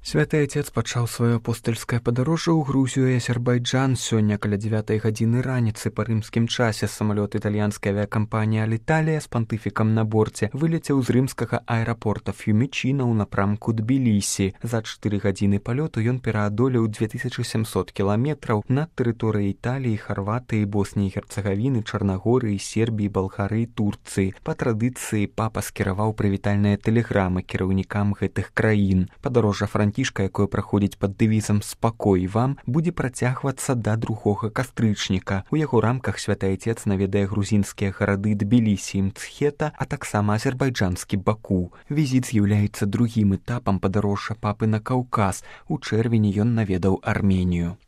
Святы Отец пачаў сваё апостальскае падарожжа ў Грузію і Азербайджан. Сёння каля 9 гадзіны раніцы па рымскім часе самалёт італьянскай авіякампаніі «Аліталія» з пантыфікам на борце вылецеў з рымскага аэрапорта Ф'юмічына ў напрамку Тбілісі. За 4 гадзіны палёту ён пераадолеў 2700 кіламетраў над тэрыторыяй Італіі, Харватыі, Босніі і Герцагавіны, Чарнагорыі, Сербіі, Балгарыі, Турцыі. Па традыцыі папа скіраваў прывітальныя тэлеграмы кіраўнікам гэтых краін. Падарожжа Францішка, якое праходзіць пад дэвізам «Спакой вам», будзе працягвацца да 2 кастрычніка. У яго рамках святы Отец наведае грузінскія гарады Тбілісі і Мцхета, а таксама азербайджанскі Баку. Візіт з'яўляецца другім этапам падарожжа папы на Каўказ. У чэрвені ён наведаў Арменію.